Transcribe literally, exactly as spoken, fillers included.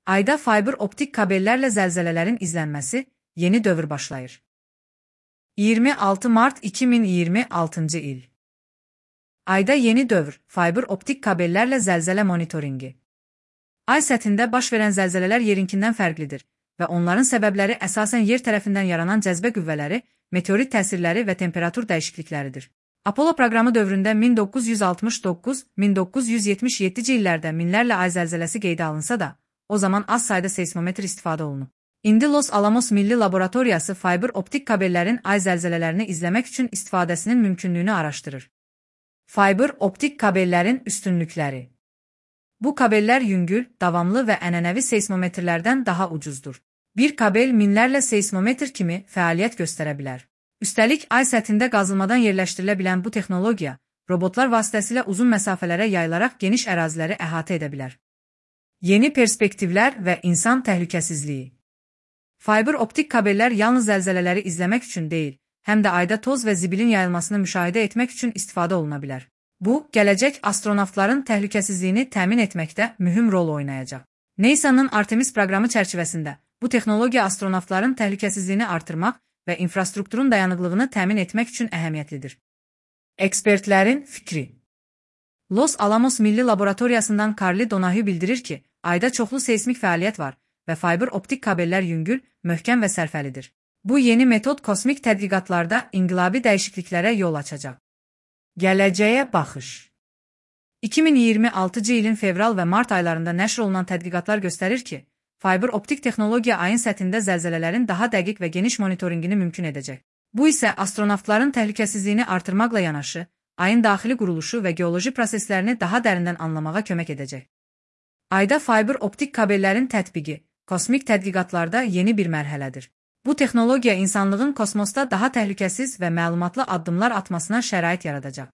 Ayda fayber optik kabellərlə zəlzələlərin izlənməsi yeni dövr başlayır. iyirmi altı mart iki min iyirmi altıncı il. Ayda yeni dövr, fayber optik kabellərlə zəlzələ monitoringi. Ay səthində baş verən zəlzələlər yerinkindən fərqlidir və onların səbəbləri əsasən yer tərəfindən yaranan cəzbə qüvvələri, meteorit təsirləri və temperatur dəyişiklikləridir. Apollo proqramı dövründə min doqquz yüz altmış doqquz - min doqquz yüz yetmiş yeddinci illərdə minlərlə ay zəlzələsi qeydə alınsa da, o zaman az sayda seismometr istifadə olunub. İndi Los Alamos Milli Laboratoriyası fayber optik kabellərin ay zəlzələlərini izləmək üçün istifadəsinin mümkünlüyünü araşdırır. Fayber optik kabellərin üstünlükləri. Bu kabellər yüngül, davamlı və ənənəvi seismometrlərdən daha ucuzdur. Bir kabel minlərlə seismometr kimi fəaliyyət göstərə bilər. Üstəlik, ay səthində qazılmadan yerləşdirilə bilən bu texnologiya, robotlar vasitəsilə uzun məsafələrə yayılaraq geniş əraziləri əhatə edə bilər. Yeni perspektivlər və insan təhlükəsizliyi. Fayber optik kabellər yalnız zəlzələləri izləmək üçün deyil, həm də ayda toz və zibilin yayılmasını müşahidə etmək üçün istifadə oluna bilər. Bu, gələcək astronavtların təhlükəsizliyini təmin etməkdə mühüm rol oynayacaq. NASA'nın Artemis proqramı çərçivəsində bu texnologiya astronavtların təhlükəsizliyini artırmaq və infrastrukturun dayanıqlığını təmin etmək üçün əhəmiyyətlidir. Ekspertlərin fikri. Los Alamos Milli Laboratoriyasından Carly Donahue bildirir ki, ayda çoxlu seismik fəaliyyət var və fayber optik kabellər yüngül, möhkəm və sərfəlidir. Bu yeni metod kosmik tədqiqatlarda inqilabi dəyişikliklərə yol açacaq. Gələcəyə baxış. iki min iyirmi altıncı ilin fevral və mart aylarında nəşr olunan tədqiqatlar göstərir ki, fayber optik texnologiya ayın səthində zəlzələlərin daha dəqiq və geniş monitorinqini mümkün edəcək. Bu isə astronavtların təhlükəsizliyini artırmaqla yanaşı, ayın daxili quruluşu və geoloji proseslərini daha dərindən anlamağa kömək edəcək. Ayda fayber optik kabellərin tətbiqi, kosmik tədqiqatlarda yeni bir mərhələdir. Bu texnologiya insanlığın kosmosda daha təhlükəsiz və məlumatlı addımlar atmasına şərait yaradacaq.